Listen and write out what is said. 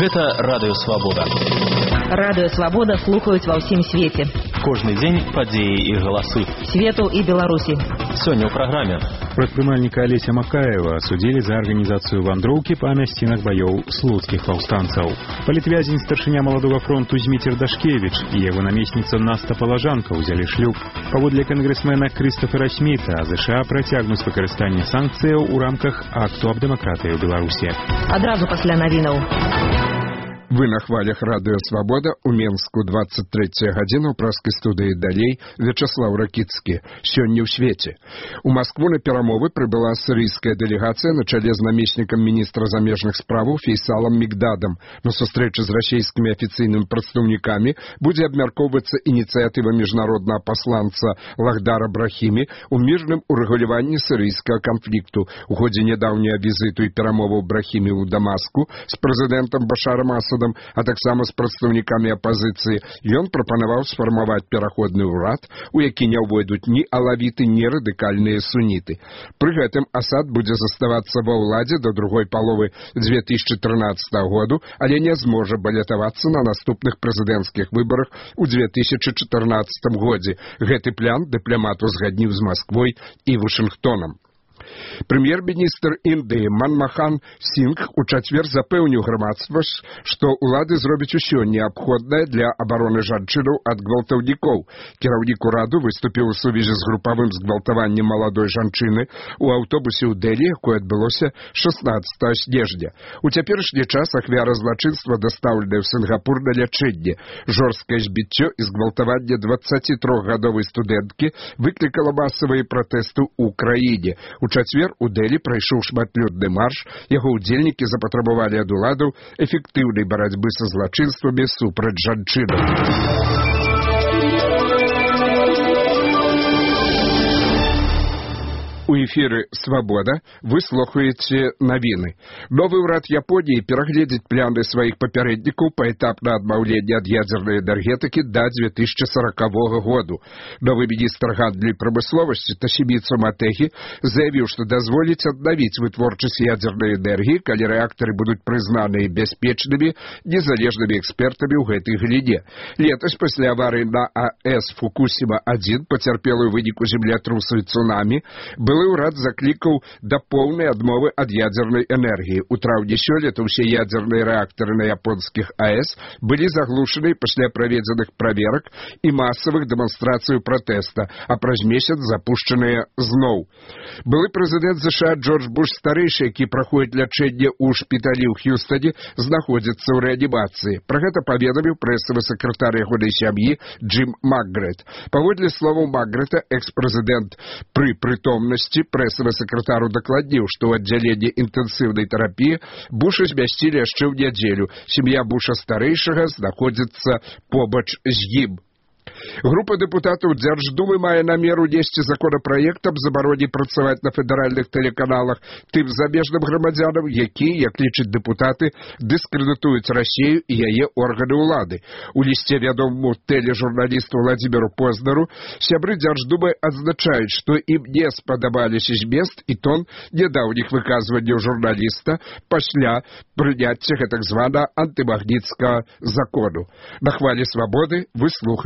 Гэта Радыё Свабода. Радыё Свабода слухаюць ва ўсім свеце. Кожны дзень падзеі і галасы. Свету і Беларусі. Сёння ў праграме. Прадпрымальніка Алеся Макаева судзілі за арганізацыю вандроўкі па мясцінах баёў слуцкіх паўстанцаў. Палітвязень старшыня Маладога фронту Зміцер Дашкевіч і яго намесніца Наста Палажанка ўзялі шлюб. Паводле кангрэсмена Крыстафера Сміта, ЗША працягнуць выкарыстанне санкцыяў у рамках акту аб дэмакратыі ў Беларусі. Адразу пасля навінаў. Вы на хвалях Радыё Свабода у Менску 23 гадзіна ў праскай студыі далей Вячаслаў Ракіцкі. Сёння ў свеце. У Маскву на перамовы прыбыла сірыйская дэлегацыя на чале з намеснікам міністра замежных справаў Фейсалам Мигдадам. На сустрэчы з расійскімі афіцыйнымі прадстаўнікамі будзе абмяркоўвацца ініцыятыва міжнароднага пасланца Лахдара Брахімі ў мірным урэгуляванні сірыйскага канфлікту. У ходзе нядаўняга візіту і перамоваў Брахімі ў Дамаску з прэзідэнтам Башарам Асадам, а таксама з прадстаўнікамі апазіцыі, ён прапанаваў сфармаваць пераходны ўрад, у які не ўвойдуць ні алавіты, ні радыкальныя суніты. Пры гэтым Асад будзе заставацца ва ўладзе да другой паловы 2013 году, але не зможа балятавацца на наступных прэзідэнцкіх выбарах у 2014 годзе. Гэты план дыпламат узгадніў з Масквой і Вашынгтонам. Прэм'ер-міністр Індыі Манмахан Сінгх у чацвер запэўніў грамадства, што ўлады зробяць усё неабходнае для абароны жанчынаў ад гвалтаўнікоў. Кіраўнік ураду выступіў у сувязі з групавым згвалтаваннем маладой жанчыны ў аўтобусе ў Дэлі, якое адбылося 16 снежня. У цяперашні час ахвяра злачынства дастаўленая ў Сінгапур на лячэнне. Жорсткае збіццё і згвалтаванне 23-гадовай студэнткі выклікала масавыя пратэсты ў краіне. У чацвер у Дэлі прайшоў шматлюдны марш, яго ўдзельнікі запатрабавалі ад уладаў эфектыўнай барацьбы са злачынствамі супраць жанчынаў. У эфіры «Свабода» вы слухаеце навіны. Новы ўрад Японіі перагледзіць планы сваіх папярэднікаў паэтапна адмаўлення ад ядзернай энергетыкі да 2040 году. Новы міністр гандлю і прамысловасці Тосіміцу Матэгі заявіў, што дазволіць аднавіць вытворчасць ядзернай энергіі, калі рэактары будуць прызнаныя бяспечнымі незалежнымі экспертамі ў гэтай галіне. Летась пасля аварыі на АЭС Фукусіма-1, пацярпелую ў выніку землятрусу і цунамі, былы ўрад заклікаў да поўнай адмовы ад ядзернай энергіі. У траўні сёлета ўсе ядзерныя рэактары на японскіх АЭС былі заглушаны пасля праведзеных праверак і масавых дэманстрацый пратэста, а праз месяц запушчаныя зноў. Былы прэзідэнт ЗША Джордж Буш-старэйшы, які праходзіць лячэнне ў шпіталі ў Х'юстане, знаходзіцца ў рэанімацыі. Пра гэта паведаміў прэсавы сакратар ягонай сям'і Джим Макгрэт. Паводле словаў Макгрэта, экс-прэзідэнт пры прытомнасці прэсавы сакратару дакладніў, што ў аддзяленні інтэнсіўнай тэрапіі Буша змясцілі яшчэ ў нядзелю. Сям'я Буша-старэйшага знаходзіцца побач з ім. Група дэпутатаў Дзярждумы мае намер унесці законапраект аб забароне працаваць на федэральных тэлеканалах тым замежным грамадзянам, якія, як лічаць дэпутаты, дыскрэдытуюць Расію і яе органы ўлады. У лісце вядомаму тэлежурналісту Владзіміру Познеру сябры Дзярждумы адзначаюць, што ім не спадабаліся змест і тон нядаўніх выказванняў журналіста пасля прыняцця гэтак званага антымагніцкага закону. На хвалі Свабоды вы слухалі